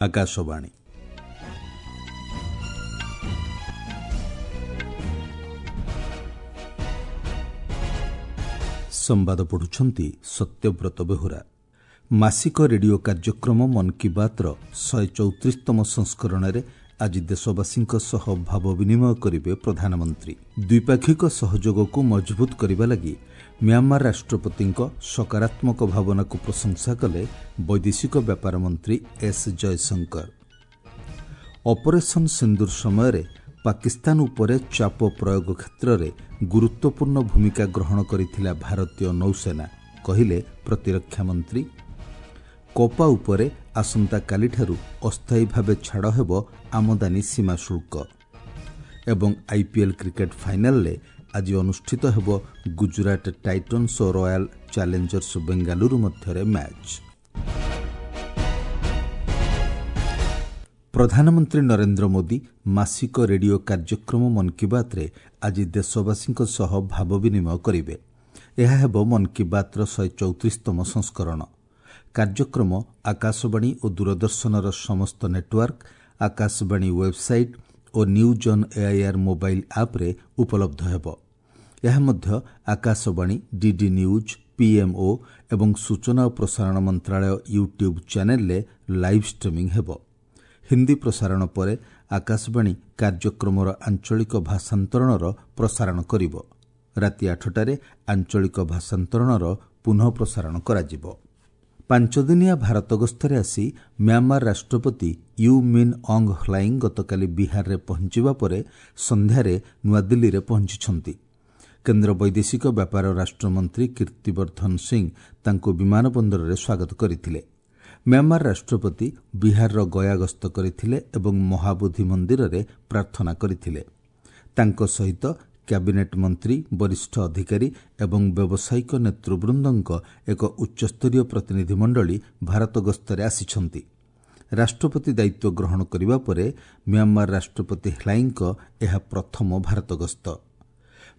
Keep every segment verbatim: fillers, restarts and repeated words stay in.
ଆକାଶବାଣୀ। ସମ୍ବାଦ ପଢ଼ୁଛନ୍ତି ସତ୍ୟବ୍ରତ ବେହୁରା। ମାସିକ ରେଡିଓ କାର୍ଯ୍ୟକ୍ରମ ମନ୍ କି ବାତ୍ର ଶହେ ଚଉତିରିଶତମ ସଂସ୍କରଣରେ ଆଜି ଦେଶବାସୀଙ୍କ ସହ ଭାବ ବିନିମୟ କରିବେ ପ୍ରଧାନମନ୍ତ୍ରୀ। ଦ୍ୱିପାକ୍ଷିକ ସହଯୋଗକୁ ମଜବୁତ କରିବା ଲାଗି ମ୍ୟାଁମାର ରାଷ୍ଟ୍ରପତିଙ୍କ ସକାରାତ୍ମକ ଭାବନାକୁ ପ୍ରଶଂସା କଲେ ବୈଦେଶିକ ବ୍ୟାପାର ମନ୍ତ୍ରୀ ଏସ୍ ଜୟଶଙ୍କର। ଅପରେସନ୍ ସିନ୍ଦୁର ସମୟରେ ପାକିସ୍ତାନ ଉପରେ ଚାପ ପ୍ରୟୋଗ କ୍ଷେତ୍ରରେ ଗୁରୁତ୍ୱପୂର୍ଣ୍ଣ ଭୂମିକା ଗ୍ରହଣ କରିଥିଲା ଭାରତୀୟ ନୌସେନା, କହିଲେ ପ୍ରତିରକ୍ଷା ମନ୍ତ୍ରୀ। କପା ଉପରେ ଆସନ୍ତାକାଲିଠାରୁ ଅସ୍ଥାୟୀ ଭାବେ ଛାଡ଼ ହେବ ଆମଦାନୀ ସୀମା ଶୁଳ୍କ। ଏବଂ ଆଇପିଏଲ୍ କ୍ରିକେଟ୍ ଫାଇନାଲରେ ଆଜି ଅନୁଷ୍ଠିତ ହେବ ଗୁଜୁରାଟ ଟାଇଟନ୍ସ ଓ ରୟାଲ ଚ୍ୟାଲେଞ୍ଜର୍ସ ବେଙ୍ଗାଲୁରୁ ମଧ୍ୟରେ ମ୍ୟାଚ୍। ପ୍ରଧାନମନ୍ତ୍ରୀ ନରେନ୍ଦ୍ର ମୋଦି ମାସିକ ରେଡିଓ କାର୍ଯ୍ୟକ୍ରମ ମନ୍ କି ବାତ୍ରେ ଆଜି ଦେଶବାସୀଙ୍କ ସହ ଭାବ ବିନିମୟ କରିବେ। ଏହା ହେବ ମନ୍ କି ବାତ୍ର ଶହେ ଚଉତିରିଶତମ ସଂସ୍କରଣ। କାର୍ଯ୍ୟକ୍ରମ ଆକାଶବାଣୀ ଓ ଦୂରଦର୍ଶନର ସମସ୍ତ network, Akashvani website O news on AIR mobile ଆପ୍ରେ ଉପଲବ୍ଧ ହେବ। ଏହା ମଧ୍ୟ ଆକାଶବାଣୀ, ଡିଡି ନ୍ୟୁଜ୍, ପିଏମ୍ଓ ଏବଂ ସୂଚନା ଓ ପ୍ରସାରଣ ମନ୍ତ୍ରାଳୟ ୟୁଟ୍ୟୁବ୍ ଚ୍ୟାନେଲ୍ରେ ଲାଇଭ୍ ଷ୍ଟ୍ରିମିଂ ହେବ। ହିନ୍ଦୀ ପ୍ରସାରଣ ପରେ ଆକାଶବାଣୀ କାର୍ଯ୍ୟକ୍ରମର ଆଞ୍ଚଳିକ ଭାଷାନ୍ତରଣର ପ୍ରସାରଣ କରିବ। ରାତି ଆଠଟାରେ ଆଞ୍ଚଳିକ ଭାଷାନ୍ତରଣର ପୁନଃ ପ୍ରସାରଣ କରାଯିବ। ପାଞ୍ଚଦିନିଆ ଭାରତ ଗସ୍ତରେ ଆସି ମ୍ୟାଁମାର ରାଷ୍ଟ୍ରପତି you mean ଅଙ୍ଗ ହ୍ଲାଇଂ ଗତକାଲି ବିହାରରେ ପହଞ୍ଚିବା ପରେ ସନ୍ଧ୍ୟାରେ ନୂଆଦିଲ୍ଲୀରେ ପହଞ୍ଚିଛନ୍ତି। କେନ୍ଦ୍ର ବୈଦେଶିକ ବ୍ୟାପାର ରାଷ୍ଟ୍ରମନ୍ତ୍ରୀ କୀର୍ତ୍ତିବର୍ଦ୍ଧନ ସିଂ ତାଙ୍କୁ ବିମାନ ବନ୍ଦରରେ ସ୍ୱାଗତ କରିଥିଲେ। ମ୍ୟାଁମାର ରାଷ୍ଟ୍ରପତି ବିହାରର ଗୟା ଗସ୍ତ କରିଥିଲେ ଏବଂ ମହାବୋଧି ମନ୍ଦିରରେ ପ୍ରାର୍ଥନା କରିଥିଲେ। ତାଙ୍କ ସହିତ କ୍ୟାବିନେଟ୍ ମନ୍ତ୍ରୀ, ବରିଷ୍ଠ ଅଧିକାରୀ ଏବଂ ବ୍ୟବସାୟିକ ନେତୃବୃନ୍ଦଙ୍କ ଏକ ଉଚ୍ଚସ୍ତରୀୟ ପ୍ରତିନିଧିମଣ୍ଡଳୀ ଭାରତ ଗସ୍ତରେ ଆସିଛନ୍ତି। ରାଷ୍ଟ୍ରପତି ଦାୟିତ୍ୱ ଗ୍ରହଣ କରିବା ପରେ ମ୍ୟାଁମାର ରାଷ୍ଟ୍ରପତି ହ୍ଲାଇଙ୍କ ଏହା ପ୍ରଥମ ଭାରତ ଗସ୍ତ।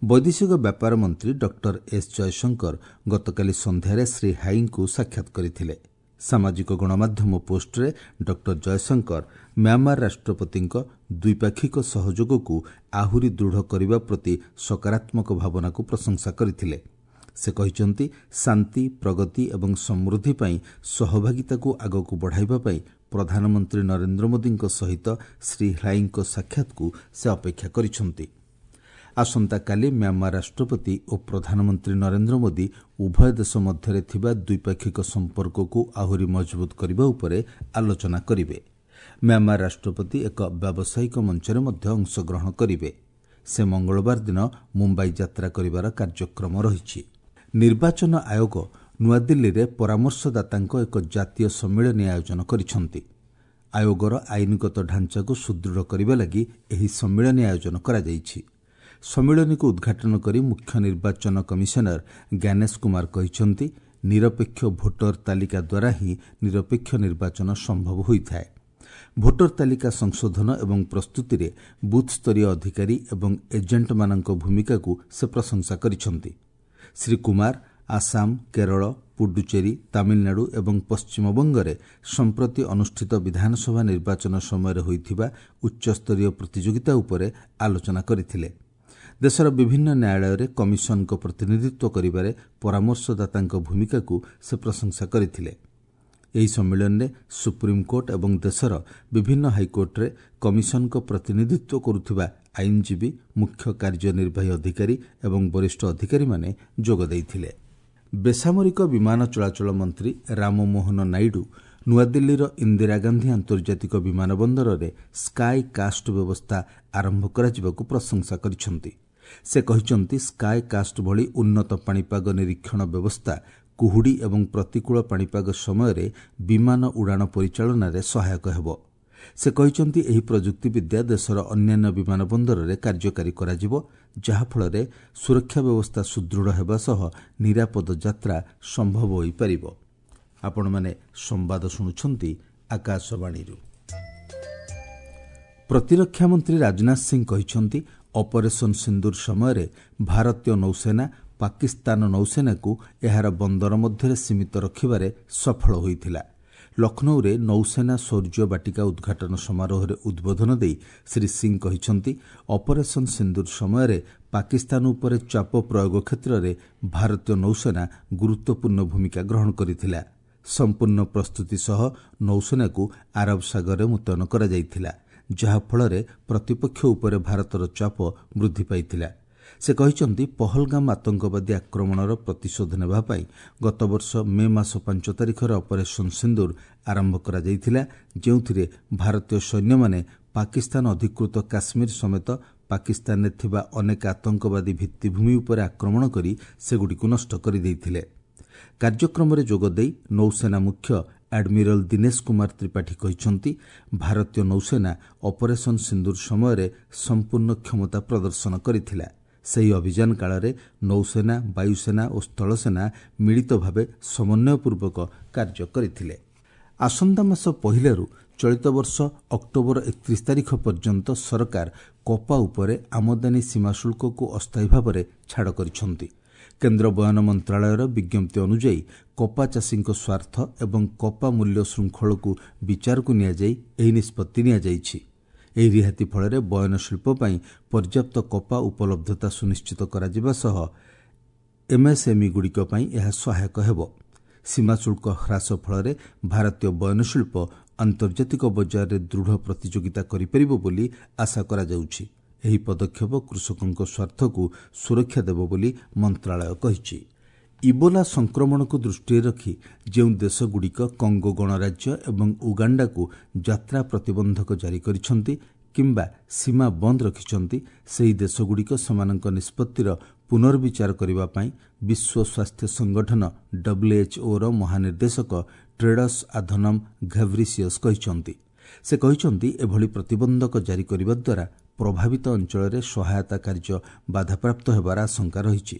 ବୈଦେଶିକ ବ୍ୟାପାର ମନ୍ତ୍ରୀ ଡକ୍ଟର ଏସ୍ ଜୟଶଙ୍କର ଗତକାଲି ସନ୍ଧ୍ୟାରେ ଶ୍ରୀ ହାଇଙ୍କୁ ସାକ୍ଷାତ କରିଥିଲେ। ସାମାଜିକ ଗଣମାଧ୍ୟମ ପୋଷ୍ଟରେ ଡକ୍ଟର ଜୟଶଙ୍କର ମ୍ୟାଁମାର ରାଷ୍ଟ୍ରପତିଙ୍କ ଦ୍ୱିପାକ୍ଷିକ ସହଯୋଗକୁ ଆହୁରି ଦୃଢ଼ କରିବା ପ୍ରତି ସକାରାତ୍ମକ ଭାବନାକୁ ପ୍ରଶଂସା କରିଥିଲେ। ସେ କହିଛନ୍ତି, ଶାନ୍ତି, ପ୍ରଗତି ଏବଂ ସମୃଦ୍ଧି ପାଇଁ ସହଭାଗିତାକୁ ଆଗକୁ ବଢ଼ାଇବା ପାଇଁ ପ୍ରଧାନମନ୍ତ୍ରୀ ନରେନ୍ଦ୍ର ମୋଦିଙ୍କ ସହିତ ଶ୍ରୀ ହ୍ଲାଇଙ୍କ ସାକ୍ଷାତକୁ ସେ ଅପେକ୍ଷା କରିଛନ୍ତି। ଆସନ୍ତାକାଲି ମ୍ୟାଁମାର ରାଷ୍ଟ୍ରପତି ଓ ପ୍ରଧାନମନ୍ତ୍ରୀ ନରେନ୍ଦ୍ର ମୋଦି ଉଭୟ ଦେଶ ମଧ୍ୟରେ ଥିବା ଦ୍ୱିପାକ୍ଷିକ ସମ୍ପର୍କକୁ ଆହୁରି ମଜବୁତ କରିବା ଉପରେ ଆଲୋଚନା କରିବେ। ମ୍ୟାଁମାର ରାଷ୍ଟ୍ରପତି ଏକ ବ୍ୟାବସାୟିକ ମଞ୍ଚରେ ମଧ୍ୟ ଅଂଶଗ୍ରହଣ କରିବେ। ସେ ମଙ୍ଗଳବାର ଦିନ ମୁମ୍ବାଇ ଯାତ୍ରା କରିବାର କାର୍ଯ୍ୟକ୍ରମ ରହିଛି। ନିର୍ବାଚନ ଆୟୋଗ ନୂଆଦିଲ୍ଲୀରେ ପରାମର୍ଶଦାତାଙ୍କ ଏକ ଜାତୀୟ ସମ୍ମିଳନୀ ଆୟୋଜନ କରିଛନ୍ତି। ଆୟୋଗର ଆଇନଗତ ଢାଞ୍ଚାକୁ ସୁଦୃଢ଼ କରିବା ଲାଗି ଏହି ସମ୍ମିଳନୀ ଆୟୋଜନ କରାଯାଇଛି। ସମ୍ମିଳନୀକୁ ଉଦ୍ଘାଟନ କରି ମୁଖ୍ୟ ନିର୍ବାଚନ କମିଶନର ଜ୍ଞାନେଶ କୁମାର କହିଛନ୍ତି, ନିରପେକ୍ଷ ଭୋଟର ତାଲିକା ଦ୍ୱାରା ହିଁ ନିରପେକ୍ଷ ନିର୍ବାଚନ ସମ୍ଭବ ହୋଇଥାଏ। ଭୋଟର ତାଲିକା ସଂଶୋଧନ ଏବଂ ପ୍ରସ୍ତୁତିରେ ବୁଥ୍ସ୍ତରୀୟ ଅଧିକାରୀ ଏବଂ ଏଜେଣ୍ଟମାନଙ୍କ ଭୂମିକାକୁ ସେ ପ୍ରଶଂସା କରିଛନ୍ତି। ଶ୍ରୀ କୁମାର ଆସାମ, କେରଳ, ପୁଡୁଚେରୀ, ତାମିଲନାଡୁ ଏବଂ ପଶ୍ଚିମବଙ୍ଗରେ ସମ୍ପ୍ରତି ଅନୁଷ୍ଠିତ ବିଧାନସଭା ନିର୍ବାଚନ ସମୟରେ ହୋଇଥିବା ଉଚ୍ଚସ୍ତରୀୟ ପ୍ରତିଯୋଗିତା ଉପରେ ଆଲୋଚନା କରିଥିଲେ। ଦେଶର ବିଭିନ୍ନ ନ୍ୟାୟାଳୟରେ କମିଶନଙ୍କ ପ୍ରତିନିଧିତ୍ୱ କରିବାରେ ପରାମର୍ଶଦାତାଙ୍କ ଭୂମିକାକୁ ସେ ପ୍ରଶଂସା କରିଥିଲେ। ଏହି ସମ୍ମିଳନୀରେ ସୁପ୍ରିମକୋର୍ଟ ଏବଂ ଦେଶର ବିଭିନ୍ନ ହାଇକୋର୍ଟରେ କମିଶନଙ୍କ ପ୍ରତିନିଧିତ୍ୱ କରୁଥିବା ଆଇନଜୀବୀ, ମୁଖ୍ୟ କାର୍ଯ୍ୟନିର୍ବାହୀ ଅଧିକାରୀ ଏବଂ ବରିଷ୍ଠ ଅଧିକାରୀମାନେ ଯୋଗ ଦେଇଥିଲେ। ବେସାମରିକ ବିମାନ ଚଳାଚଳ ମନ୍ତ୍ରୀ ରାମମୋହନ ନାଇଡୁ ନୂଆଦିଲ୍ଲୀର ଇନ୍ଦିରା ଗାନ୍ଧୀ ଆନ୍ତର୍ଜାତିକ ବିମାନ ବନ୍ଦରରେ ସ୍କାଏ କାଷ୍ଟ ବ୍ୟବସ୍ଥା ଆରମ୍ଭ କରାଯିବାକୁ ପ୍ରଶଂସା କରିଛନ୍ତି। ସେ କହିଛନ୍ତି, ସ୍କାଏ କାଷ୍ଟ ଭଳି ଉନ୍ନତ ପାଣିପାଗ ନିରୀକ୍ଷଣ ବ୍ୟବସ୍ଥା କୁହୁଡ଼ି ଏବଂ ପ୍ରତିକୂଳ ପାଣିପାଗ ସମୟରେ ବିମାନ ଉଡ଼ାଣ ପରିଚାଳନାରେ ସହାୟକ ହେବ। ସେ କହିଛନ୍ତି, ଏହି ପ୍ରଯୁକ୍ତିବିଦ୍ୟା ଦେଶର ଅନ୍ୟାନ୍ୟ ବିମାନ ବନ୍ଦରରେ କାର୍ଯ୍ୟକାରୀ କରାଯିବ, ଯାହାଫଳରେ ସୁରକ୍ଷା ବ୍ୟବସ୍ଥା ସୁଦୃଢ଼ ହେବା ସହ ନିରାପଦ ଯାତ୍ରା ସମ୍ଭବ ହୋଇପାରିବ। ଆପଣମାନେ ସମ୍ବାଦ ଶୁଣୁଛନ୍ତି ଆକାଶବାଣୀରୁ। ପ୍ରତିରକ୍ଷା ମନ୍ତ୍ରୀ ରାଜନାଥ ସିଂ କହିଛନ୍ତି, ଅପରେସନ୍ ସିନ୍ଦୁର ସମୟରେ ଭାରତୀୟ ନୌସେନା ପାକିସ୍ତାନ ନୌସେନାକୁ ଏହାର ବନ୍ଦର ମଧ୍ୟରେ ସୀମିତ ରଖିବାରେ ସଫଳ ହୋଇଥିଲା। ଲକ୍ଷ୍ନୌରେ ନୌସେନା ଶୌର୍ଯ୍ୟ ବାଟିକା ଉଦ୍ଘାଟନ ସମାରୋହରେ ଉଦ୍ବୋଧନ ଦେଇ ଶ୍ରୀ ସିଂ କହିଛନ୍ତି, ଅପରେସନ୍ ସିନ୍ଦୁର ସମୟରେ ପାକିସ୍ତାନ ଉପରେ ଚାପ ପ୍ରୟୋଗ କ୍ଷେତ୍ରରେ ଭାରତୀୟ ନୌସେନା ଗୁରୁତ୍ୱପୂର୍ଣ୍ଣ ଭୂମିକା ଗ୍ରହଣ କରିଥିଲା। ସମ୍ପୂର୍ଣ୍ଣ ପ୍ରସ୍ତୁତି ସହ ନୌସେନାକୁ ଆରବ ସାଗରରେ ମୁତୟନ କରାଯାଇଥିଲା, ଯାହାଫଳରେ ପ୍ରତିପକ୍ଷ ଉପରେ ଭାରତର ଚାପ ବୃଦ୍ଧି ପାଇଥିଲା। ସେ କହିଛନ୍ତି, ପହଲଗାମ ଆତଙ୍କବାଦୀ ଆକ୍ରମଣର ପ୍ରତିଶୋଧ ନେବା ପାଇଁ ଗତବର୍ଷ ମେ ମାସ ପାଞ୍ଚ ତାରିଖରେ ଅପରେସନ୍ ସିନ୍ଦୁର ଆରମ୍ଭ କରାଯାଇଥିଲା, ଯେଉଁଥିରେ ଭାରତୀୟ ସୈନ୍ୟମାନେ ପାକିସ୍ତାନ ଅଧିକୃତ କାଶ୍ମୀର ସମେତ ପାକିସ୍ତାନରେ ଥିବା ଅନେକ ଆତଙ୍କବାଦୀ ଭିତ୍ତିଭୂମି ଉପରେ ଆକ୍ରମଣ କରି ସେଗୁଡ଼ିକୁ ନଷ୍ଟ କରିଦେଇଥିଲେ। କାର୍ଯ୍ୟକ୍ରମରେ ଯୋଗଦେଇ ନୌସେନା ମୁଖ୍ୟ ଆଡମିରାଲ ଦୀନେଶ କୁମାର ତ୍ରିପାଠୀ କହିଛନ୍ତି, ଭାରତୀୟ ନୌସେନା ଅପରେସନ୍ ସିନ୍ଦୁର ସମୟରେ ସମ୍ପୂର୍ଣ୍ଣ କ୍ଷମତା ପ୍ରଦର୍ଶନ କରିଥିଲା। ସେହି ଅଭିଯାନ କାଳରେ ନୌସେନା, ବାୟୁସେନା ଓ ସ୍ଥଳସେନା ମିଳିତ ଭାବେ ସମନ୍ୱୟପୂର୍ବକ କାର୍ଯ୍ୟ କରିଥିଲେ। ଆସନ୍ତା ମାସ ପହିଲାରୁ ଚଳିତ ବର୍ଷ ଅକ୍ଟୋବର ଏକତିରିଶ ତାରିଖ ପର୍ଯ୍ୟନ୍ତ ସରକାର କପା ଉପରେ ଆମଦାନୀ ସୀମା ଶୁଳ୍କକୁ ଅସ୍ଥାୟୀ ଭାବରେ ଛାଡ଼ କରିଛନ୍ତି। କେନ୍ଦ୍ର ବୟନ ମନ୍ତ୍ରଣାଳୟର ବିଜ୍ଞପ୍ତି ଅନୁଯାୟୀ କପା ଚାଷୀଙ୍କ ସ୍ୱାର୍ଥ ଏବଂ କପା ମୂଲ୍ୟ ଶୃଙ୍ଖଳକୁ ବିଚାରକୁ ନିଆଯାଇ ଏହି ନିଷ୍ପତ୍ତି ନିଆଯାଇଛି। ଏହି ରିହାତି ଫଳରେ ବୟନ ଶିଳ୍ପ ପାଇଁ ପର୍ଯ୍ୟାପ୍ତ କପା ଉପଲବ୍ଧତା ସୁନିଶ୍ଚିତ କରାଯିବା ସହ ଏମ୍ଏସ୍ଏମ୍ଇଗୁଡ଼ିକ ପାଇଁ ଏହା ସହାୟକ ହେବ। ସୀମା ଶୁଳ୍କ ହ୍ରାସ ଫଳରେ ଭାରତୀୟ ବୟନ ଶିଳ୍ପ ଆନ୍ତର୍ଜାତିକ ବଜାରରେ ଦୃଢ଼ ପ୍ରତିଯୋଗିତା କରିପାରିବ ବୋଲି ଆଶା କରାଯାଉଛି। ଏହି ପଦକ୍ଷେପ କୃଷକଙ୍କ ସ୍ୱାର୍ଥକୁ ସୁରକ୍ଷା ଦେବ ବୋଲି ମନ୍ତ୍ରଣାଳୟ କହିଛି। ଇବୋଲା ସଂକ୍ରମଣକୁ ଦୃଷ୍ଟିରେ ରଖି ଯେଉଁ ଦେଶଗୁଡ଼ିକ କଙ୍ଗୋ ଗଣରାଜ୍ୟ ଏବଂ ଉଗାଣ୍ଡାକୁ ଯାତ୍ରା ପ୍ରତିବନ୍ଧକ ଜାରି କରିଛନ୍ତି କିମ୍ବା ସୀମା ବନ୍ଦ ରଖିଛନ୍ତି, ସେହି ଦେଶଗୁଡ଼ିକ ସେମାନଙ୍କ ନିଷ୍ପତ୍ତିର ପୁନର୍ବିଚାର କରିବା ପାଇଁ ବିଶ୍ୱ ସ୍ୱାସ୍ଥ୍ୟ ସଂଗଠନ ଡବ୍ଲ୍ୟୁଏଚ୍ଓର ମହାନିର୍ଦ୍ଦେଶକ ଟ୍ରେଡସ୍ ଆଧନମ୍ ଘେବ୍ରିସିୟସ୍ କହିଛନ୍ତି। ସେ କହିଛନ୍ତି, ଏଭଳି ପ୍ରତିବନ୍ଧକ ଜାରି କରିବା ଦ୍ୱାରା ପ୍ରଭାବିତ ଅଞ୍ଚଳରେ ସହାୟତା କାର୍ଯ୍ୟ ବାଧାପ୍ରାପ୍ତ ହେବାର ଆଶଙ୍କା ରହିଛି।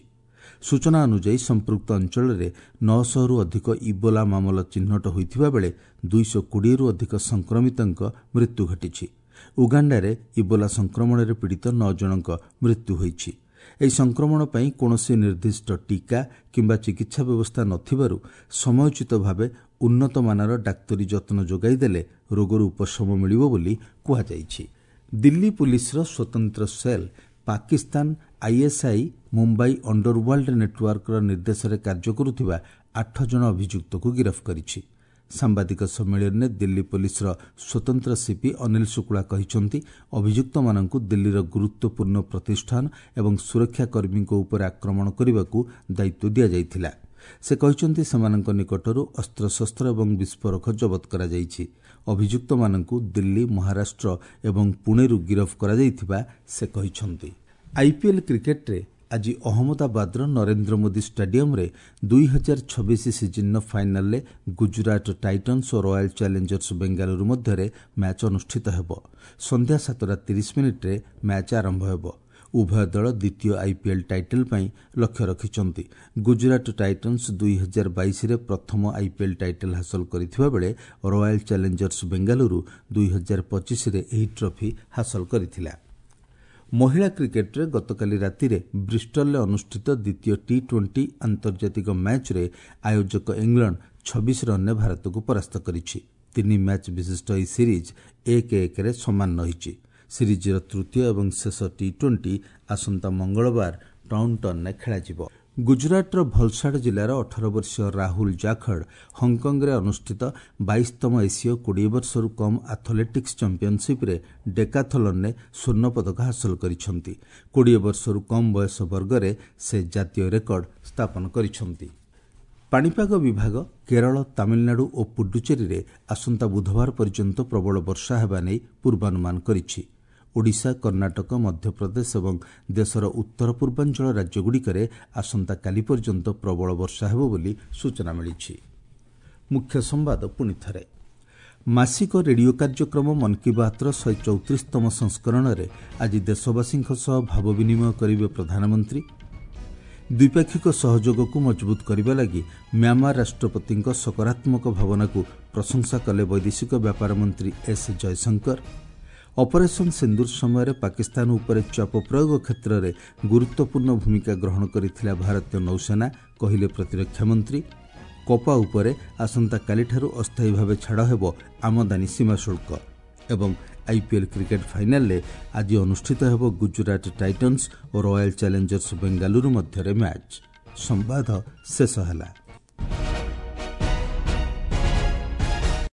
ସୂଚନା ଅନୁଯାୟୀ ସମ୍ପୃକ୍ତ ଅଞ୍ଚଳରେ ନଅଶହରୁ ଅଧିକ ଇବୋଲା ମାମଲା ଚିହ୍ନଟ ହୋଇଥିବା ବେଳେ ଦୁଇଶହ କୋଡ଼ିଏରୁ ଅଧିକ ସଂକ୍ରମିତଙ୍କ ମୃତ୍ୟୁ ଘଟିଛି। ଉଗାଣ୍ଡାରେ ଇବୋଲା ସଂକ୍ରମଣରେ ପୀଡ଼ିତ ନଅ ଜଣଙ୍କ ମୃତ୍ୟୁ ହୋଇଛି। ଏହି ସଂକ୍ରମଣ ପାଇଁ କୌଣସି ନିର୍ଦ୍ଦିଷ୍ଟ ଟିକା କିମ୍ବା ଚିକିତ୍ସା ବ୍ୟବସ୍ଥା ନଥିବାରୁ ସମୟୋଚିତ ଭାବେ ଉନ୍ନତମାନର ଡାକ୍ତରୀ ଯତ୍ନ ଯୋଗାଇ ଦେଲେ ରୋଗରୁ ଉପଶମ ମିଳିବ ବୋଲି କୁହାଯାଇଛି। ଦିଲ୍ଲୀ ପୁଲିସର ସ୍ୱତନ୍ତ୍ର cell Pakistan ISI Mumbai underworld ନେଟୱାର୍କର ନିର୍ଦ୍ଦେଶରେ କାର୍ଯ୍ୟ କରୁଥିବା ଆଠ ଜଣ ଅଭିଯୁକ୍ତକୁ ଗିରଫ କରିଛି। ସାମ୍ବାଦିକ ସମ୍ମିଳନୀରେ ଦିଲ୍ଲୀ ପୋଲିସର ସ୍ୱତନ୍ତ୍ର ସିପି ଅନିଲ ଶୁକ୍ଳା କହିଛନ୍ତି, ଅଭିଯୁକ୍ତମାନଙ୍କୁ ଦିଲ୍ଲୀର ଗୁରୁତ୍ୱପୂର୍ଣ୍ଣ ପ୍ରତିଷ୍ଠାନ ଏବଂ ସୁରକ୍ଷାକର୍ମୀଙ୍କ ଉପରେ ଆକ୍ରମଣ କରିବାକୁ ଦାୟିତ୍ୱ ଦିଆଯାଇଥିଲା। ସେ କହିଛନ୍ତି, ସେମାନଙ୍କ ନିକଟରୁ ଅସ୍ତ୍ରଶସ୍ତ୍ର ଏବଂ ବିସ୍ଫୋରକ ଜବତ କରାଯାଇଛି। ଅଭିଯୁକ୍ତମାନଙ୍କୁ ଦିଲ୍ଲୀ, ମହାରାଷ୍ଟ୍ର ଏବଂ ପୁଣେରୁ ଗିରଫ କରାଯାଇଥିବା ସେ କହିଛନ୍ତି। ଆଇପିଏଲ୍ କ୍ରିକେଟ୍ରେ ଆଜି ଅହମ୍ମଦାବାଦର ନରେନ୍ଦ୍ର ମୋଦି ଷ୍ଟାଡିୟମ୍ରେ ଦୁଇ ହଜାର ଛବିଶ ସିଜିନ୍ର ଫାଇନାଲ୍ରେ ଗୁଜୁରାଟ ଟାଇଟନ୍ସ ଓ ରୟାଲ୍ ଚ୍ୟାଲେଞ୍ଜର୍ସ ବେଙ୍ଗାଲୁରୁ ମଧ୍ୟରେ ମ୍ୟାଚ୍ ଅନୁଷ୍ଠିତ ହେବ। ସନ୍ଧ୍ୟା ସାତଟା ତିରିଶ ମିନିଟ୍ରେ ମ୍ୟାଚ୍ ଆରମ୍ଭ ହେବ। ଉଭୟ ଦଳ ଦ୍ୱିତୀୟ ଆଇପିଏଲ୍ ଟାଇଟଲ୍ ପାଇଁ ଲକ୍ଷ୍ୟ ରଖିଛନ୍ତି। ଗୁଜୁରାଟ ଟାଇଟନ୍ସ ଦୁଇ ହଜାର ବାଇଶରେ ପ୍ରଥମ ଆଇପିଏଲ୍ ଟାଇଟଲ୍ ହାସଲ କରିଥିବା ବେଳେ ରୟାଲ୍ ଚ୍ୟାଲେଞ୍ଜର୍ସ ବେଙ୍ଗାଲୁରୁ ଦୁଇ ହଜାର ପଚିଶରେ ଏହି ଟ୍ରଫି ହାସଲ କରିଥିଲା। ମହିଳା କ୍ରିକେଟ୍ରେ ଗତକାଲି ରାତିରେ ବ୍ରିଷ୍ଟଲରେ ଅନୁଷ୍ଠିତ ଦ୍ୱିତୀୟ ଟି ଟ୍ୱେଣ୍ଟି ଆନ୍ତର୍ଜାତିକ ମ୍ୟାଚ୍ରେ ଆୟୋଜକ ଇଂଲଣ୍ଡ ଛବିଶ ରନ୍ରେ ଭାରତକୁ ପରାସ୍ତ କରିଛି। ତିନି ମ୍ୟାଚ୍ ବିଶିଷ୍ଟ ଏହି ସିରିଜ୍ ଏକ ଏକରେ ସମାନ ରହିଛି। ସିରିଜ୍ର ତୃତୀୟ ଏବଂ ଶେଷ ଟି ଟ୍ୱେଣ୍ଟି ଆସନ୍ତା ମଙ୍ଗଳବାର ଟାଉଣ୍ଟନ୍ରେ ଖେଳାଯିବ। ଗୁଜରାଟର ଭଲସାଡ ଜିଲ୍ଲାର ଅଠର ବର୍ଷୀୟ ରାହୁଲ ଜାଖଡ଼ ହଂକଂରେ ଅନୁଷ୍ଠିତ ବାଇଶତମ ଏସୀୟ କୋଡ଼ିଏ ବର୍ଷରୁ କମ୍ ଆଥଲେଟିକ୍ସ ଚାମ୍ପିୟନସିପ୍ରେ ଡେକାଥଲନ୍ରେ ସ୍ୱର୍ଣ୍ଣ ପଦକ ହାସଲ କରିଛନ୍ତି। କୋଡ଼ିଏ ବର୍ଷରୁ କମ୍ ବୟସ ବର୍ଗରେ ସେ ଜାତୀୟ ରେକର୍ଡ ସ୍ଥାପନ କରିଛନ୍ତି। ପାଣିପାଗ ବିଭାଗ କେରଳ, ତାମିଲନାଡୁ ଓ ପୁଡୁଚେରୀରେ ଆସନ୍ତା ବୁଧବାର ପର୍ଯ୍ୟନ୍ତ ପ୍ରବଳ ବର୍ଷା ହେବା ନେଇ ପୂର୍ବାନୁମାନ କରିଛି। ଓଡ଼ିଶା, କର୍ଣ୍ଣାଟକ, ମଧ୍ୟପ୍ରଦେଶ ଏବଂ ଦେଶର ଉତ୍ତର ପୂର୍ବାଞ୍ଚଳ ରାଜ୍ୟଗୁଡ଼ିକରେ ଆସନ୍ତାକାଲି ପର୍ଯ୍ୟନ୍ତ ପ୍ରବଳ ବର୍ଷା ହେବ ବୋଲି ସୂଚନା ମିଳିଛି। ମୁଖ୍ୟ ସମ୍ବାଦ ପୁଣି ଥରେ। ମାସିକ ରେଡିଓ କାର୍ଯ୍ୟକ୍ରମ ମନ୍ କି ବାତ୍ର ଶହେ ଚଉତିରିଶତମ ସଂସ୍କରଣରେ ଆଜି ଦେଶବାସୀଙ୍କ ସହ ଭାବ ବିନିମୟ କରିବେ ପ୍ରଧାନମନ୍ତ୍ରୀ। ଦ୍ୱିପାକ୍ଷିକ ସହଯୋଗକୁ ମଜବୁତ କରିବା ଲାଗି ମ୍ୟାମାର ରାଷ୍ଟ୍ରପତିଙ୍କ ସକାରାତ୍ମକ ଭାବନାକୁ ପ୍ରଶଂସା କଲେ ବୈଦେଶିକ ବ୍ୟାପାର ମନ୍ତ୍ରୀ ଏସ୍ ଜୟଶଙ୍କର। ଅପରେସନ୍ ସିନ୍ଦୁର ସମୟରେ ପାକିସ୍ତାନ ଉପରେ ଚାପ ପ୍ରୟୋଗ କ୍ଷେତ୍ରରେ ଗୁରୁତ୍ୱପୂର୍ଣ୍ଣ ଭୂମିକା ଗ୍ରହଣ କରିଥିଲା ଭାରତୀୟ ନୌସେନା, କହିଲେ ପ୍ରତିରକ୍ଷା ମନ୍ତ୍ରୀ। କପା ଉପରେ ଆସନ୍ତାକାଲିଠାରୁ ଅସ୍ଥାୟୀ ଭାବେ ଛାଡ଼ ହେବ ଆମଦାନୀ ସୀମା ଶୁଳ୍କ। ଏବଂ ଆଇପିଏଲ୍ କ୍ରିକେଟ୍ ଫାଇନାଲରେ ଆଜି ଅନୁଷ୍ଠିତ ହେବ ଗୁଜୁରାଟ ଟାଇଟନ୍ସ ଓ ରୟାଲ ଚ୍ୟାଲେଞ୍ଜର୍ସ ବେଙ୍ଗାଲୁରୁ ମଧ୍ୟରେ ମ୍ୟାଚ୍। ସମ୍ବାଦ ଶେଷ ହେଲା।